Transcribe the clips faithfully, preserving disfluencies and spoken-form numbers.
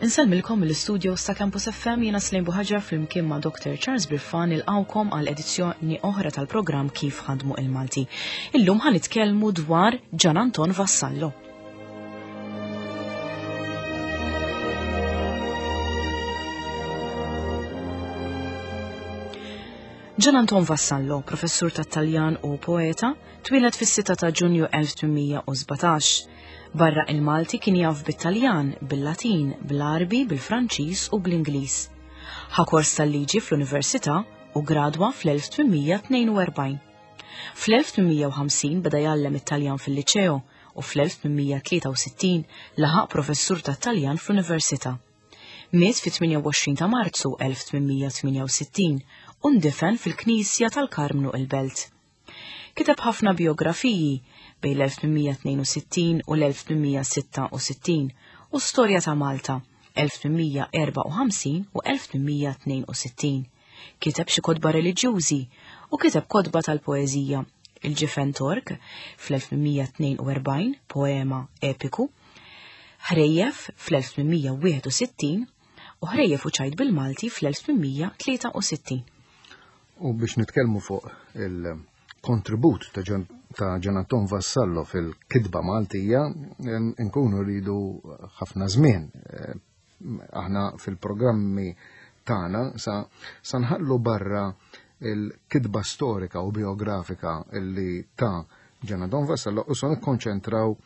Insellmilkom mill-istudio ta' Campus F M jiena Slim Buħaġar flimkien ma' Doctor Charles Birfan ilqawkom għal edizzjoni oħra tal-programm Kif Ħadmu il-Malti. Illum ħa nitkellmu dwar Gian Anton Vassallo. Gian Anton Vassallo, professur tat-Taljan u poeta, twieled fis-sitta ta' Ġunju elf tmien u sbatax. Barra il-Malti kien jaf bit-Taljan, bil-Latin, bil-Arbi, bil-Franċiż u bl-Ingliż. Ħa kors tal-liġi fl-Università u gradwa fl-elf tmien mija tnejn u erbgħin. Fl-elf tmien mija u ħamsin beda jgħallem it-Taljan fil-Liċeo u fl-elf tmien mija tlieta u sittin laħaq professur tat-Taljan fl-Università. Miet fit-tmienja u għoxrin ta' Marzu elf tmien mija tmienja u sittin u ndifen fil-Knisja tal-Karmnu il-Belt. Kiteb ħafna biografiji bejn l-elf tmien mija tnejn u sittin u l-elf tmien mija sitta u sittin u storja ta' Malta elf tmien mija erba' u ħamsin u elf tmien mija tnejn u sittin. Kiteb xi kotba reliġjużi u kiteb kotba tal-poeżija, Il-Ġifen Tork fl-elf tmien mija tnejn u erbgħin, poema epiku, Ħrejjef fl-elf tmien mija wieħed u sittin u Ħrejjef u Ċajt bil-Malti fl-elf tmien mija tlieta u sittin. U biex nitkellmu fuq il-kontribut ta' Gian, ta' Gian Anton Vassallo fil-kitba Maltija, nkunu rridu ħafna żmien. Eh, aħna fil-programmi tagħna sa, sa nħallu barra il-kitba storika u biografika illi ta' Gian Anton Vassallo u sa nikkonċentraw,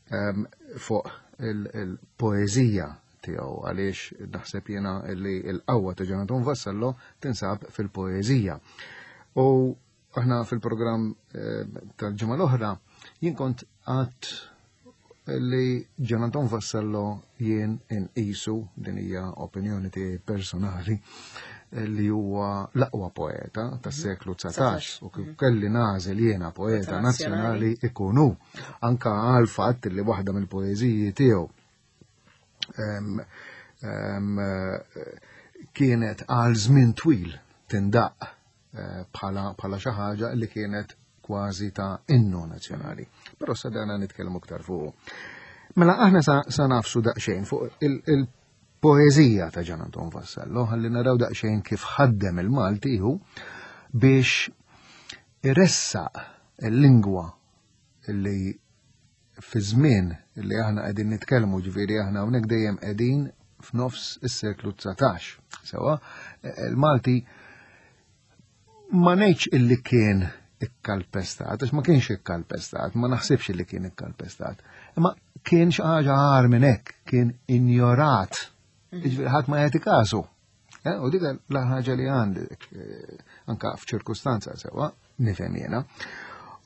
ehm, fuq il-, il-poeżija tiegħu, għaliex naħseb jiena li l-qawwa ta' Gian Anton Vassallo tinsab fil-poeżija. U aħna fil-programm, eh, tal-ġimgħa l-oħra jien kont għadt li Gian Anton Vassallo jien inqisu, din hija opinjoni tiegħi personali, li huwa l-aqwa poeta tas-seklu dsatax, u kif kelli nagħżel jiena poeta Poeta nazzjonali. nazzjonali ikun hu, anka għal fatt li waħda mill-poeżiji tiegħu em, em, kienet għal żmien twil tindaq, eh, bħala, bħala xi ħaġa li kienet kważi ta' innu nazzjonali. Però sa dana nitkellmu aktar fuq. Mela aħna sa, sa nafsu daqsxejn fuq il-, il-poeżija ta' Gian Anton Vassallo, ħalli naraw daqsxejn kif ħaddem il-Malti hu biex iressaq il-lingwa li fi żmien li aħna qegħdin nitkellmu, ġifieri aħna hawnhekk dejjem qegħdin f'nofs is-seklu dsatax. Sewa, il-Malti ma ngħidx illi kien ikkalpestat, għax ma kienx ikkalpestat, ma naħsibx illi kien ikkalpestat, imma kien xi ħaġa agħar minn hekk, kien injorat. Mhm. Jiġifieri ħadd ma jagħti kasu. Eh, u dik l-ħaġa li għandek, eh, anka f'ċirkustanza sewa, nifhem jiena.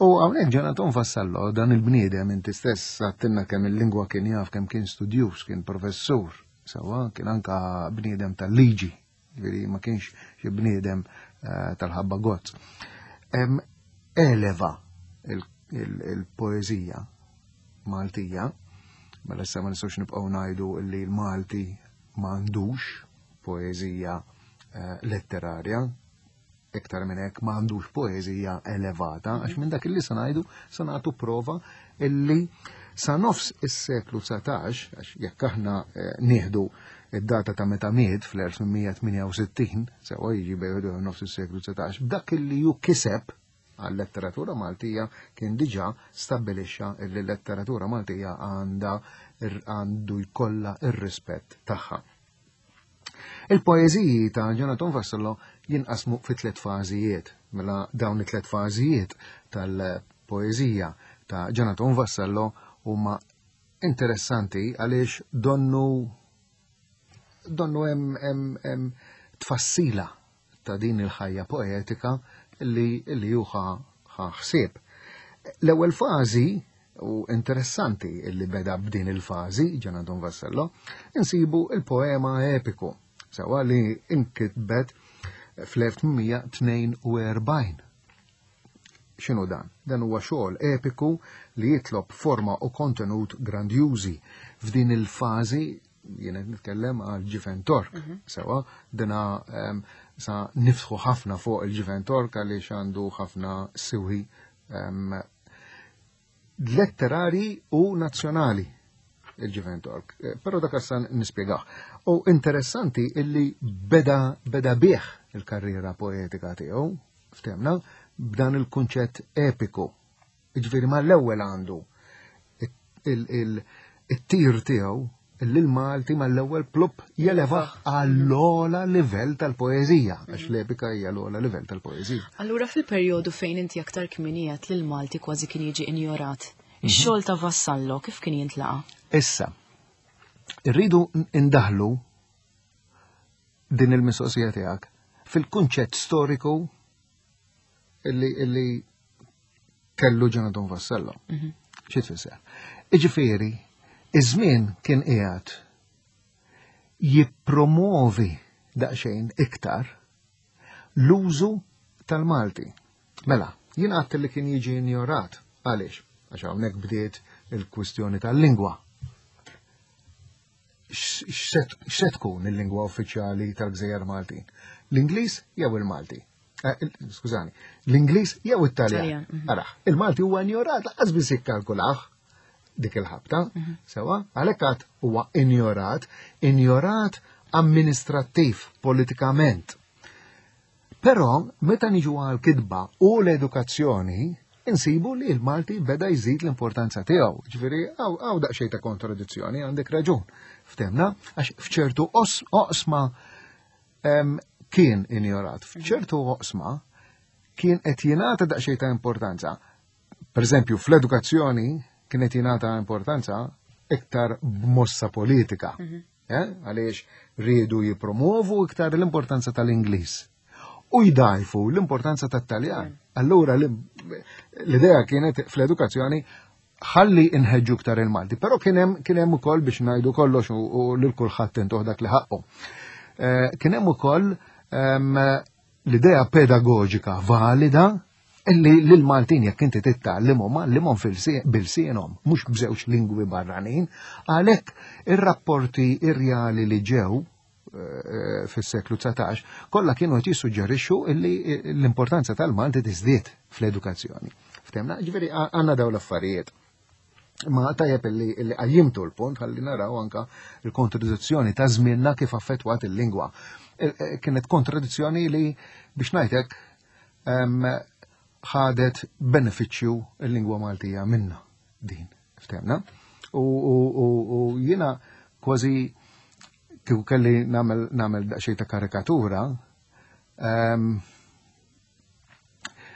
U hawnhekk Gian Anton Vassallo, dan il-bniedem inti stess għattilna kemm il-lingwa kien jaf, kemm kien studjuż, kien professur, sewa, kien anka bniedem tal-liġi, ġifieri ma kienx xi bniedem, eh, tal-ħabba gozz. Em, eleva il-, il-, il-poeżija Maltija, mela issa ma nistgħux nibqgħu ngħidu li l-Malti m'għandux poeżija, eh, letterarja, iktar minn hekk m'għandux poeżija elevata, għax minn dak illi se ngħidu se nagħtu prova illi sa nofs is-seklu dsatax, għax jekk aħna, eh, nieħdu id-data ta' meta miet fl-elf tmien mija tmienja u sittin, sewa jiġi bejn nofs is-seklu dsatax, b'dak illi ju kiseb għal-letteratura Maltija kien diġà stabbilixxa illi l-letteratura Maltija għandha ir-, għandu jkollha ir-rispett tagħha. Il-poeżiji ta' Gian Anton Vassallo jinqasmu fi tliet fażijiet. Mela dawn it-tliet fażijiet tal-poeżija ta' Gian Anton Vassallo huma interessanti għaliex donnu, donnu hemm, hemm, hemm tfassila ta' din il-ħajja poetika li, li hu ħa, ħa ħsieb. L-ewwel fażi, u interessanti li beda b'din il-fażi Gian Anton Vassallo, insibu il-poema epiku, sewa li inkitbet fl-elf tmien mija tnejn u erbgħin. X'inhu dan? Dan huwa xogħol epiku li jitlob forma u kontenut grandjużi. F'din il-fażi jien qed nitkellem għal Ġifen Tork, Mhm. sewa dina, ehm, sa niftħu ħafna fuq il-Ġifen Tork għaliex għandu ħafna siwi, ehm, letterari u nazzjonali. il-Ġifen Tork, eh, però dak issa nispjegah. U interessanti illi beda beda bih il-karriera poetika tiegħu, ftemna, b'dan il-kunċett epiku. Jiġifieri mal-ewwel għandu it-tir tiegħu illi l-Malti mal-ewwel plup jelevaħ għall-ogħla livell tal-poeżija, għax l-epika hija l-ogħla livell tal-poeżija. Allura fil-perjodu fejn inti aktar kmieni għedt li l-Malti kważi kien jiġi injorat, ix-xogħol ta' Vassallo kif kien jintlaqa? Issa, irridu indaħlu din il-mistoqsija tiegħek fil-kunċett storiku illi, illi kellu Ġon Anton Vassallo. Xi tfisser? Iġifieri, iż-żmien kien qiegħed jippromovi daqsxejn iktar l-użu tal-Malti. Mela, jien għedt li kien jiġi injorat. Għaliex? Għax hawnhekk bdiet il-kwistjoni tal-lingwa. X'se tkun il-lingwa uffiċjali tal-Gżejjer Maltin? L-Ingliż jew il-Malti? Eh, skużani, l-Ingliż jew it-Taljan? Mhm. Araħ, il-Malti huwa injorat, lanqas biss jikkalkulah dik il-ħabta, mhm. sewa, għalhekk għad huwa injorat, injorat amministrattiv, politikament. Però, meta niġu għal kitba u l-edukazzjoni, insibu li l-Malti beda jżid l-importanza tiegħu. Ġifieri hawn daqsxejn ta' kontradizzjoni, għandek raġun. Ftemna, għax f'ċertu oqsma kien injorat, f'ċertu oqsma kien qed jingħata daqsxejn ta' importanza. Per eżempju, fl-edukazzjoni kien qed jingħata importanza iktar b'mossa politika. Mhm. Eh? Għaliex riedu jipromovu iktar l-importanza tal-Ingliż u jdajfu l-importanza tat-Taljan. Allura l-idea kienet fl-edukazzjoni ħalli inħeġġu iktar il-Malti, però kien hemm kien hemm ukoll biex ngħidu kollox u lil kulħadd intuh dak li ħaqqu. Eh, kien hemm ukoll ehm, l-idea pedagogika valida illi lil-Maltin jekk inti titgħallimhom għallimhom bil-sienhom, mhux b'żewġ lingwi barranin, għalhekk ir-rapporti irjali li ġew eh, fis-seklu dsatax kollha kienu qed jissuġġerixxu illi l-importanza tal-Malti tiżdied fl-edukazzjoni. Ftemna, ġifieri għandna dawn l-affarijiet. Ma tajjeb illi illi qajjimtu l-punt ħalli naraw anka il-kontradizzjoni ta' żmienna kif affettwat il-lingwa. Kienet kontradizzjoni li biex ngħidlek ħadet benefiċċju il-lingwa Maltija minna din, ftemna. U, u, u, u jiena kważi kieku kelli nagħmel nagħmel daqsxejn ta' karikatura, um,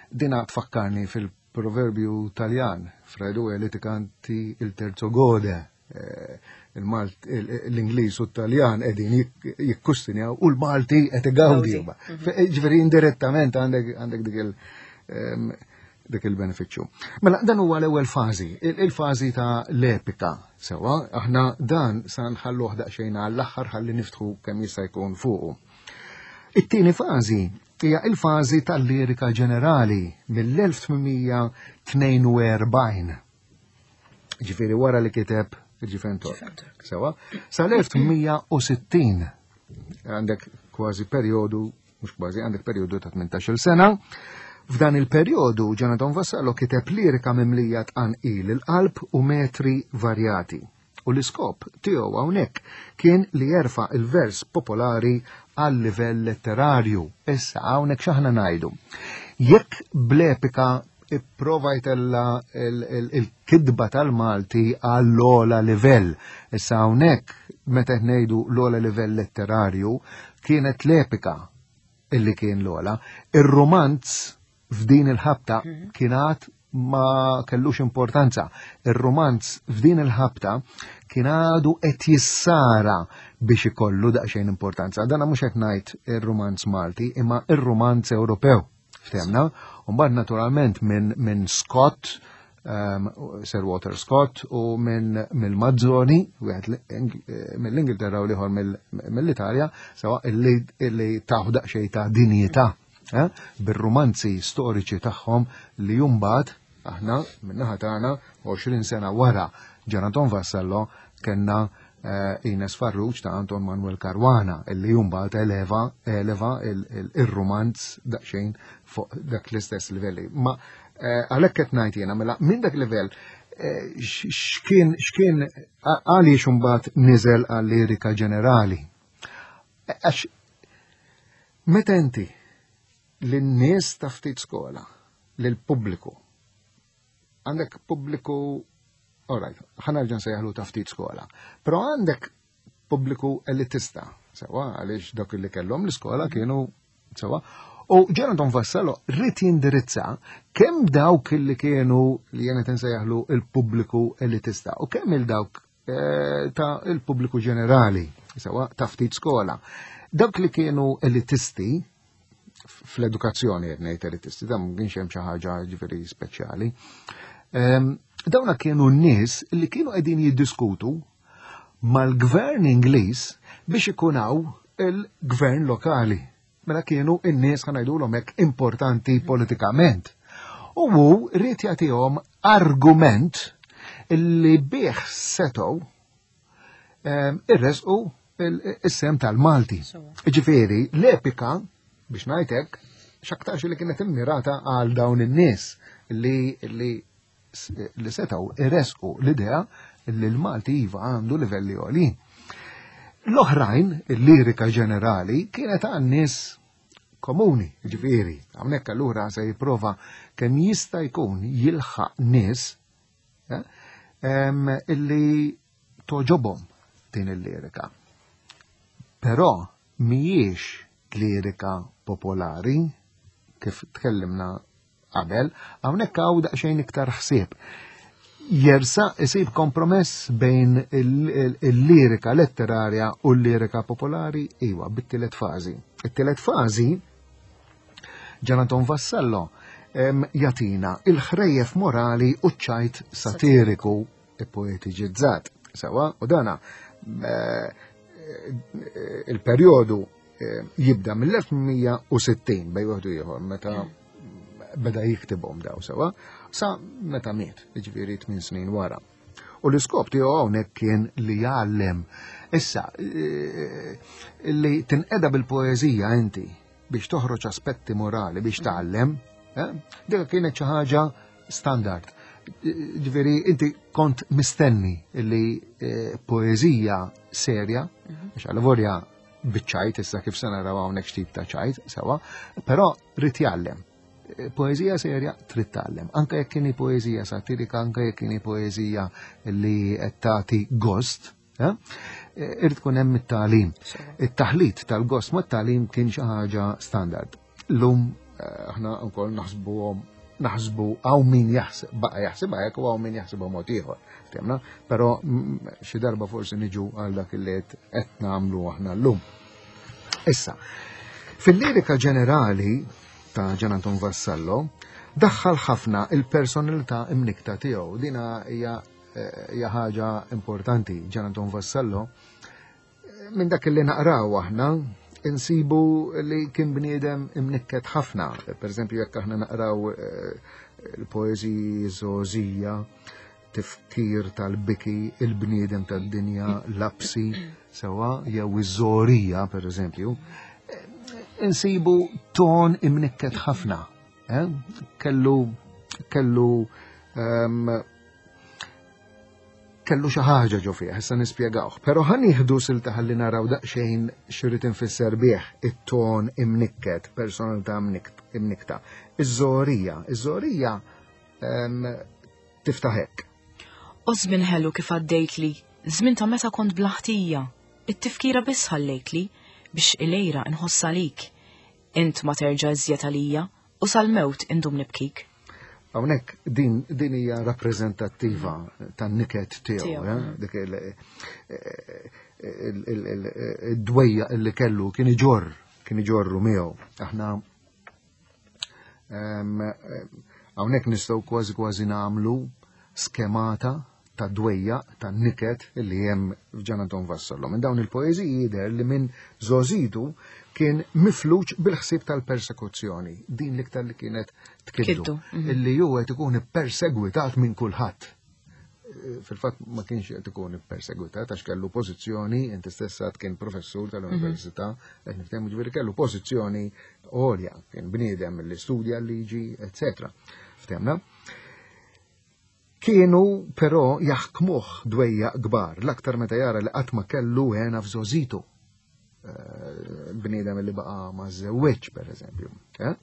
dina tfakkarni fil-proverbju Taljan, fra due litiganti il terzo gode, eh, l-Ingliż u t-Taljan qegħdin jikkustinjaw u l-Malti qed igawdi. Mhm. Ġifieri indirettament għandek għandek dik il- dik il-benefiċċju. Mela dan huwa l-ewwel fażi, il-fażi ta' l-epika. Sewa, aħna dan sa nħalluh daqsxejn għall-aħħar ħalli niftħu kemm jista' jkun fuqu. It-tieni fażi hija il-fażi tal-lirika ġenerali mill-elf tmien tnejn u erbgħin. Ġifieri wara li kiteb il-Ġifen Tork. Sewa, sal-elf tmien u sittin għandek kważi perjodu, mhux kważi, għandek perjodu ta' tmintax-il sena. F'dan il-perjodu Ġon Anton Vassallo kiteb lirika mimlija tqanqil il-qalb u metri varjati. U l-iskop tiegħu hawnhekk kien li jerfa' il-vers popolari għal livell letterarju. Issa hawnhekk x'aħna ngħidu. Jekk bl-epika ipprova jtella il-kidba tal-Malti għall-ogħla livell. Issa hawnhekk meta qed ngħidu l-ogħla livell letterarju kienet l-epika illi kien l-ogħla. Ir-romanz f'din il-ħabta Mhm. kien għad ma kellux importanza. Ir-romanz f'din il-ħabta kien għadu qed jissara biex ikollu daqsxejn importanza. Dana mhux qed ngħid ir-romanz Malti, imma ir-romanz Ewropew. Ftemna? U mbagħad naturalment minn min Scott, um, Sir Walter Scott, u minn mill-Mazzoni, wieħed li-, mill-Ingilterra u l-ieħor mill-Italja, sewa illi, illi taħu daqsxejn ta' dinjità, eh, bir-romanzi storiċi tagħhom li jumbat aħna min-naħa tagħna għoxrin sena wara Ġon Anton Vassallo kellna, eh, Ines Farrugia ta' Anton Manuel Caruana illi jumbat eleva, eleva il-romanz daqsxejn fuq dak l-istess livelli. Ma, eh, għalhekk qed ngħid jiena mela minn dak livell Eh, x'kien x'kien għaliex imbagħad niżel għal-lirika ġenerali? Għax meta inti lin-nies ta' ftit skola, lill-pubbliku, għandek pubbliku, all right, ħa nerġa' nsejjaħlu ta' ftit skola, però għandek pubbliku elitista, sewa, għaliex dak li kellhom l-iskola kienu sewa. U Gian Anton Vassallo ried jindirizza kemm dawk li kienu li jena nsejjaħlu il-pubbliku elitista u kemm il-dawk eh, ta' il-pubbliku ġenerali, sewa ta' ftit skola. Dawk li kienu elitisti fl-edukazzjoni qed ngħid elitisti, dan ma kienx hemm xi ħaġa ġifieri speċjali. Ehm, dawna kienu n-nies li kienu qegħdin jiddiskutu mal-gvern Ingliż biex ikun hawn il-gvern lokali. Mela kienu n-nies ħa ngħidulhom hekk importanti politikament. U hu ried jagħtihom argument li bih setgħu ehm, irresqu is-sem tal-Malti. Ġifieri, l-epika, biex ngħidlek, x'aktarx li kienet immirata għal dawn in-nies li li li setgħu irresqu l-idea li l-Malti iva għandu livelli għolin. L-oħrajn, il-lirika ġenerali, kienet għan nies komuni, ġifieri, hawnhekk allura se jipprova kemm jista' jkun jilħaq nies eh, illi togħġobhom din il-lirika. Però mhijiex lirika popolari, kif tkellimna qabel, hawnhekk hawn daqsxejn iktar ħsieb. Jersa isib kompromess bejn il-lirika letterarja u l-lirika popolari, iwa, bit-tielet fażi. It-tielet fażi, Gian Anton Vassallo jagħtina il-ħrejjef morali u ċajt satiriku e poetiġizzat. Sewa, u dana eh, il-perjodu eh, jibda mill-elf tmien mija u sittin bejn wieħed u ieħor meta beda jiktibhom daw sewa, sa meta miet, jiġifieri tmien snin wara. U l-iskop tiegħu hawnhekk kien li jgħallem. Issa, eh, li tinqeda bil-poeżija inti biex toħroġ aspetti morali biex tgħallem, eh, dik kienet xi ħaġa standard. Ġifieri inti kont mistenni li eh, poeżija serja, għax għal-vorja biċ-ċajt, issa kif se naraw hawnhekk x'tip ta' ċajt, sewa, però ried jgħallem. Poeżija serja trid tgħallem, anke jekk kien poeżija satirika, anke jekk kien poeżija li qed tagħti gost, eh, irid tkun hemm it-tagħlim. It-taħlit tal-gost mat-tagħlim kien xi ħaġa standard. Lum eh, aħna wkoll naħsbuhom naħsbu hawn min jaħseb baqa' jaħsibha hekk u hawn min jaħsibha mod ieħor. Ftemna? Però xi darba forsi niġu għal dak li qed nagħmlu aħna llum. Issa, fil-lirika ġenerali ta' Gian Anton Vassallo, daħħal ħafna il-personalità imnikta tiegħu. Dina hija hija ħaġa importanti. Gian Anton Vassallo, minn dak li naqraw aħna, insibu li kien bniedem imnikket ħafna. Per eżempju, jekk aħna naqraw eh, il-poeżiji Żgħożija, tifkir tal-biki, il-bniedem tad-dinja, lapsi, sewa, jew iż-żorija, per eżempju, insibu ton imnikket ħafna. Eh? Kellu, kellu, um, kellu xi ħaġa ġo fih, issa nispjegawh. Però ħa nieħdu silta ħalli naraw daqsxejn x'irid infisser bih it-ton imnikket, personalità imnikta. Iż-żorija, iż-żorija um, tiftaħ hekk. U żmien ħelu kif għaddejtli, żmien ta' meta kont blaħtija, it-tifkira biss ħallejtli biex ilejra nħoss għalik. Int ma terġa' iżjed għalija u sal-mewt indum nibkik. Hawnhekk din, din hija rappreżentattiva tan-niket tiegħu, Tiegħu, eh? Dik il-dwejja li kellu kien iġorr, kien iġorru miegħu. Aħna hawnhekk nistgħu kważi kważi nagħmlu skemata ta' dwejja, ta' niket li hemm f'Ġan Anton Vassallo. Minn dawn il-poeżiji jidher li minn żgħożitu kien mifluġ bil-ħsieb tal-persekuzzjoni, din l-iktar li kienet tkiddu, Kiddu, mhm. illi hu qed ikun ippersegwitat minn kulħadd. Fil-fatt ma kienx qed ikun ippersegwitat għax kellu pożizzjoni, inti stess għad kien professur tal-università, qed niftehmu ġifieri kellu pożizzjoni għolja, kien bniedem li studja l-liġi, eccetera. Ftehmna? Kienu però jaħkmuh dwejjaq kbar, l-aktar meta jara li qatt ma kellu hena f'żgħożitu. Eh, bniedem li baqa ma żewweġ, per eżempju. Eh?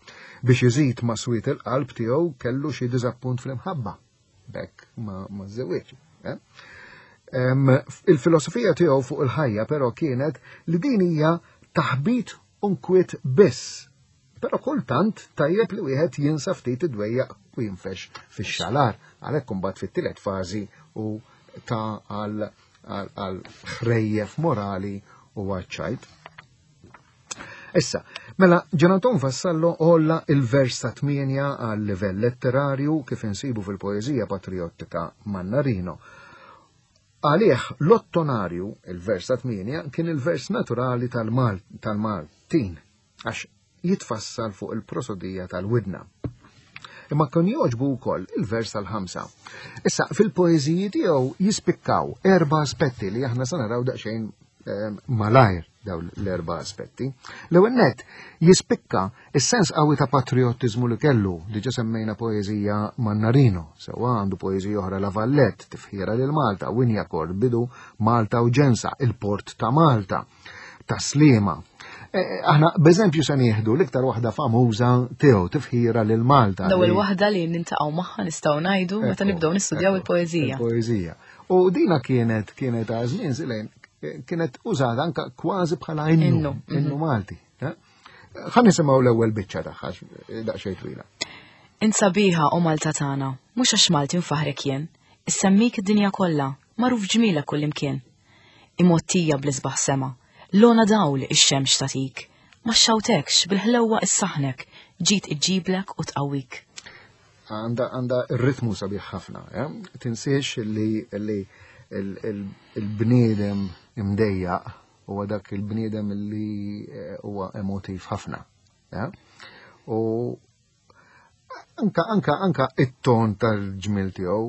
Biex iżid ma swiet il-qalb tiegħu kellu xi diżappunt fl-imħabba. Bekk ma ma żewweġ. Eh? Il-filosofija tiegħu fuq il-ħajja però kienet li din hija taħbit u nkwiet biss. Però kultant tajjeb li wieħed jinsa ftit id-dwejjaq u jinfex fix-xalar. Għalhekk imbagħad fit-tielet fażi u ta' għal għal ħrejjef morali u għaċ-ċajt. Issa, mela, Gian Anton Vassallo għolla il-vers ta' tmienja għal livell letterarju kif insibu fil-poeżija patriottika Mannarino. Għalih l-ottonarju, il-vers ta' tmienja, kien il-vers naturali tal-Maltin, għax jitfassal fuq il-prosodija tal-widna. Imma kien jogħġbu wkoll il-vers tal-ħamsa. Issa, fil-poeżiji tiegħu jispikkaw erba' aspetti li aħna se naraw daqsxejn ehm, malajr dawn l-erba' aspetti. L-ewwel nett jispikka is-sens qawwi ta' patriottiżmu li kellu, diġà semmejna poeżija Mannarino, sewwa għandu poeżija oħra La Vallette, tifħira lil Malta, Wignacourt, bidu Malta u Ġensa, il-Port ta' Malta, ta' Sliema. E, aħna b'eżempju se nieħdu l-iktar waħda famuża tiegħu, tifħira lil Malta. L-ewwel waħda li nintaqgħu magħha nistgħu ngħidu meta nibdew nistudjaw il-poeżija. Il-poeżija. U dina kienet kienet għażlin zilejn kienet użata anka kważi bħala innu, innu mhm. Malti. Eh? Ħa nisimgħu l-ewwel biċċa tagħha daqsxejn twila. Int sabiħa o Malta tagħna, mhux għax Malti nfaħrek jien, issemmik id-dinja kollha, magħruf ġmielek kullimkien. Imgħottija bl-isbaħ sema, lona dawl ix-xemx tagħtik, ma xxawtekx bil-ħlewwa issaħħnek, ġid iġġiblek u tqawwik. Għanda għanda r-ritmu sabiħ ħafna, eh? Tinsiex li li il-bniedem imdejjaq huwa dak il-bniedem li eh, huwa emotiv ħafna. Eh? U anka anka anka it-ton tal-ġmil tiegħu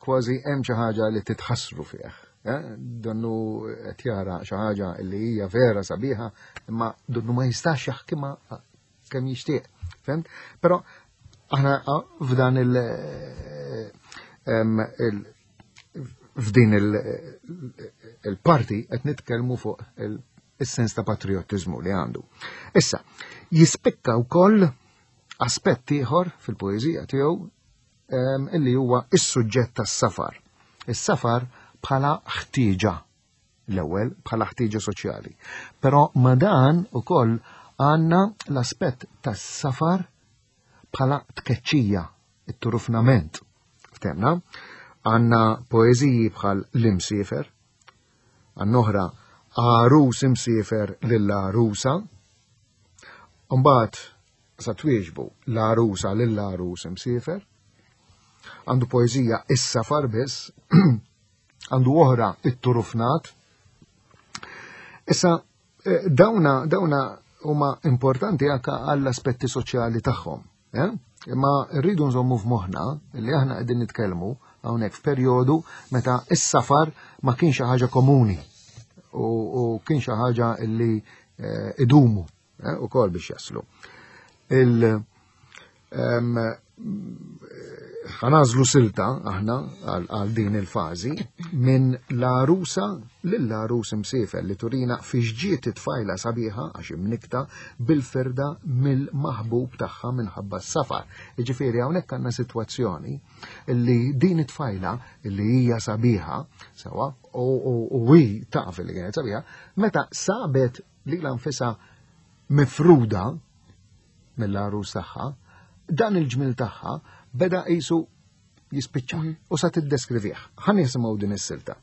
kważi hemm xi ħaġa li titħassru fih. Eh? Donnu qed jara xi ħaġa li hija vera sabiħa, imma donnu ma jistax jaħkimha kemm jixtieq. Fhimt? Però aħna f'dan il- il f'din il-parti qed nitkellmu fuq il-sens ta' patriottiżmu li għandu. Issa, jispikka wkoll aspett ieħor fil-poeżija tiegħu illi huwa is-suġġett tas-safar. Is-safar bħala ħtieġa l-ewwel bħala ħtieġa soċjali. Però ma dan ukoll għandna l-aspett tas-safar bħala tkeċċija, it-turufnament. Ftemna? Għandna poeżiji bħal l-imsiefer, għandna oħra għarus imsiefer lill-għarusa, mbagħad sa twieġbu l-għarusa lill-għarus imsiefer, għandu poeżija is-safar biss, għandu oħra it-turufnat. Issa, eh, dawna, dawna huma importanti anke għall-aspetti soċjali tagħhom. Eh? Imma rridu nżommu f'moħħna li aħna qegħdin nitkellmu hawnhekk f'perjodu meta s-safar ma kienx xi ħaġa komuni u, u kien xi ħaġa li eh, idumu eh, ukoll biex jaslu. Il em, ħa nagħżlu silta aħna għal din il-fażi minn l-għarusa lill-għarus imsiefer li turina fiex ġiet it-tfajla sabiħa għax imnikta bil-firda mill-maħbub tagħha minħabba s-safar. Jiġifieri hawnhekk għandna sitwazzjoni li din it-tfajla li hija sabiħa sewa u hi taf li kienet sabiħa, meta sabet lilha nfisha mifruda mill-għarus tagħha, dan il-ġmil tagħha beda qisu jispiċċa mhm. u sa tiddeskrivih. Ħa nisimgħu din is-silta.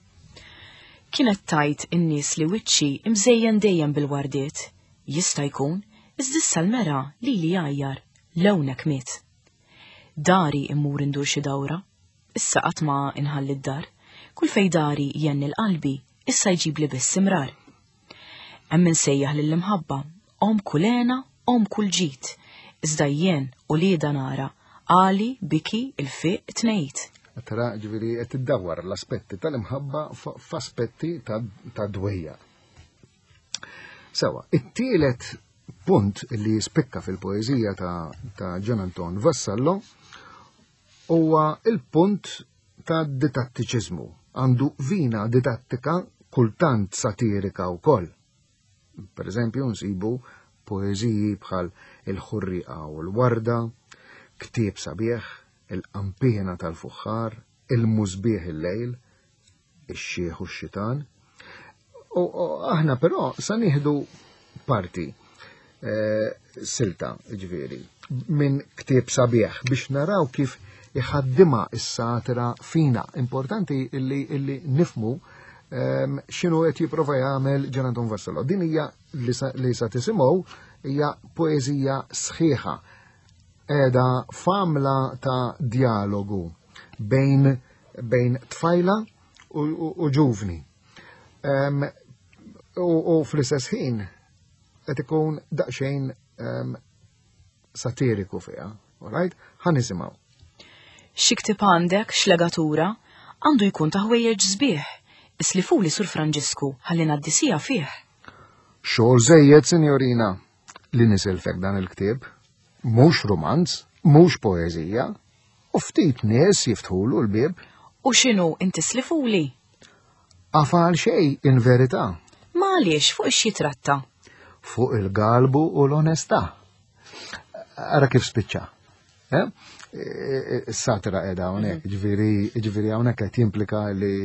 Kienet tgħid in-nies li wiċċi imżejjen dejjem bil-wardiet. Jista' jkun, iżda issa l-mera li li jgħajjar lewnek miet. Dari immur indur xi dawra, issa qatt ma inħalli d-dar, kull fej dari jenni l-qalbi, issa jġib li biss imrar. Hemm insejjaħ lill-imħabba, om kull hena, om kull ġid, iżda jien u lieda nara, għali, biki, il-fiq, tnejt. Tara, ġifieri, qed iddawwar l-aspetti tal-imħabba f'aspetti ta' dwejja. Sewa, it-tielet punt li jispikka fil-poeżija ta', ta' Gian Anton Vassallo huwa il-punt ta' didattiċiżmu, għandu vina didattika kultant satirika wkoll. Per eżempju, nsibu poeżiji bħal Il-Ħurrieqa u l-Warda, Ktieb Sabiħ, Il-Qanpiena tal-Fuħħar, Il-Musbieħ il-Lejl, Ix-Xiħ u x-Xitan. U aħna però sa nieħdu parti eh, silta, ġifieri, minn Ktieb Sabiħ biex naraw kif iħaddima is-satira fina. Importanti illi, illi nifmu um, x'inhu qed jipprova jagħmel Gian Anton Vassallo. Din hija li sa, li sa tisimgħu hija poeżija sħiħa qiegħda famla ta' dialogu bejn, bejn tfajla u, u, u ġuvni. Um, u, u fl-istess ħin qed ikun daqsxejn um, satiriku fiha, all right? Ħa nisimgħu. Xi ktieb għandek, x'legatura, għandu jkun ta' ħwejjeġ sbieħ. Islifuli Sur Franġisku, ħalli ngħaddi fih. Xogħol żejjed, sinjorina, li nisilfek dan il-ktieb. Mhux romanz, mhux poeżija, u ftit nies jiftħulu l-bieb. U x'inhu inti slifuli? Afal xej in verità. Ma għaliex fuq ix tratta? Fuq il-galbu u l-onestà. Ara kif spiċċa. Eh? Is-satira qiegħda hawnhekk, ġifieri ġifieri hawnhekk qed jimplika li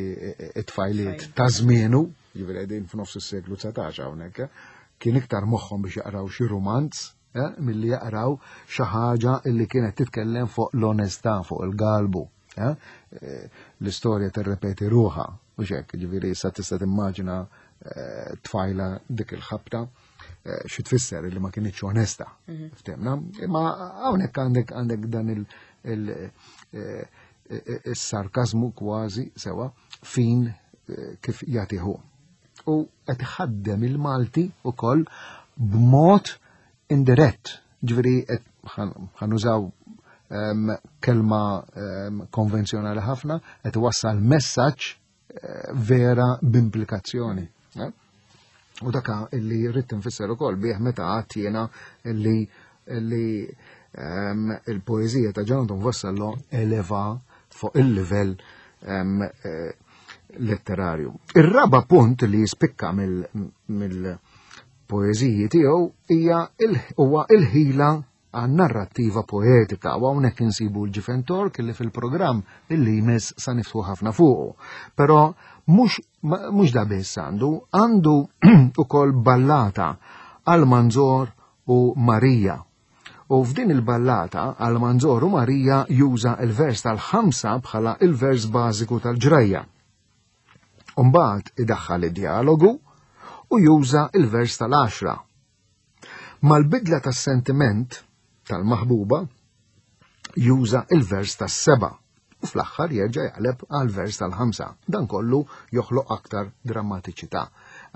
t-tfajliet ta' żmienu, ġifieri qegħdin f'nofs is-seklu dsatax hawnhekk, kien iktar moħħhom biex jaqraw xi romanz eh, milli jaqraw xi ħaġa illi kienet titkellem fuq l-onestà, fuq il-galbu. Eh? L-istorja tirrepeti ruħha, u xek, ġifieri issa tista' timmaġina tfajla dik il-ħabta xi tfisser li ma kienitx onesta. Ftemna, imma hawnhekk għandek għandek dan il-sarkazmu kważi sewa fin kif jagħtihu. U qed iħaddem il-Malti ukoll b'mod indirett. Ġifieri ħa nużaw kelma konvenzjonali ħafna, qed iwassal messaġġ vera b'implikazzjoni. U daka illi rrid nfisser ukoll bih meta għadt jiena illi illi il-poeżija ta' Gian Anton Vassallo eleva fuq il-livell letterarju. Ir-raba punt li jispikka mill-poeżiji tiegħu hija huwa il-ħila għan-narrattiva poetika, u hawnhekk insibu l-Ġifen Tork illi fil-programm illi jmiss sa niftħu ħafna fuqu. Però mhux mhux da biss għandu, għandu ukoll ballata għal Manzor u Marija. U f'din il-ballata għal Manzor u Marija juża il-vers tal-ħamsa bħala il-vers bażiku tal-ġrajja. Umbagħad idaħħal id-dialogu u juża il-vers tal-għaxra. Mal-bidla tas-sentiment tal-maħbuba juża il-vers tas-seba' u fl-aħħar jerġa' jaqleb għal vers tal-ħamsa. Dan kollu joħloq aktar drammatiċità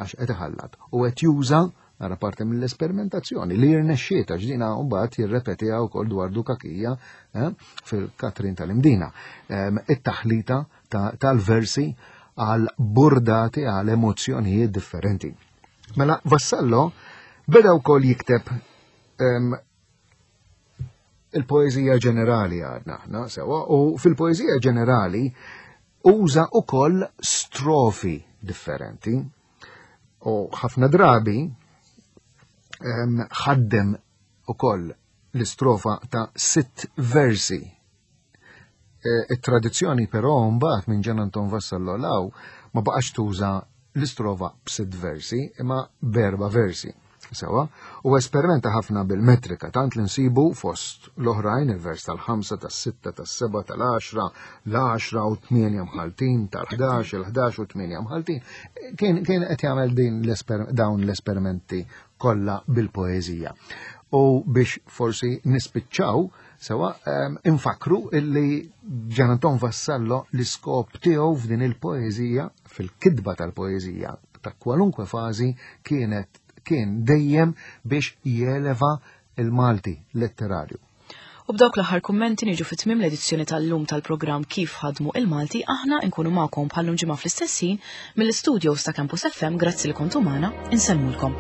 għax qed iħallat u qed juża nara parti mill-esperimentazzjoni li jirnexxiet għax dina mbagħad jirrepetiha wkoll dwar Dukakija eh, fil-Katrin tal-Imdina. It-taħlita tal-versi għal burdati għal emozzjonijiet differenti. Mela Vassallo beda wkoll jikteb il-poeżija ġenerali għadna aħna sewa, u fil-poeżija ġenerali uża ukoll strofi differenti u ħafna drabi ħaddem ukoll l-istrofa ta' sitt versi. It-tradizzjoni però mbagħad minn Gian Anton Vassallo law ma baqax tuża l-istrofa b'sitt versi imma b'erba' versi. Sewa, u esperimenta ħafna bil-metrika, tant li nsibu fost l-oħrajn il-vers tal-ħamsa, tas-sitta, tas-seba, tal-għaxra, l-għaxra u tmienja mħaltin, tal-ħdax, il-ħdax u tmienja mħaltin. Kien, kien qed jagħmel din dawn l-esperimenti kollha bil-poeżija. U biex forsi nispiċċaw, sewa, infakru illi Gian Anton Vassallo l-iskop tiegħu f'din il-poeżija, fil-kitba tal-poeżija, ta' kwalunkwe fażi kienet kien dejjem biex jeleva il-Malti letterarju. U b'dawk l-aħħar kummenti niġu fi tmiem l-edizzjoni tal-lum tal-programm Kif Ħadmu il-Malti, aħna nkunu magħkom bħallum ġimgħa fl-istess ħin mill-istudios ta' Campus F M. Grazzi li kontu magħna, insellmulkom.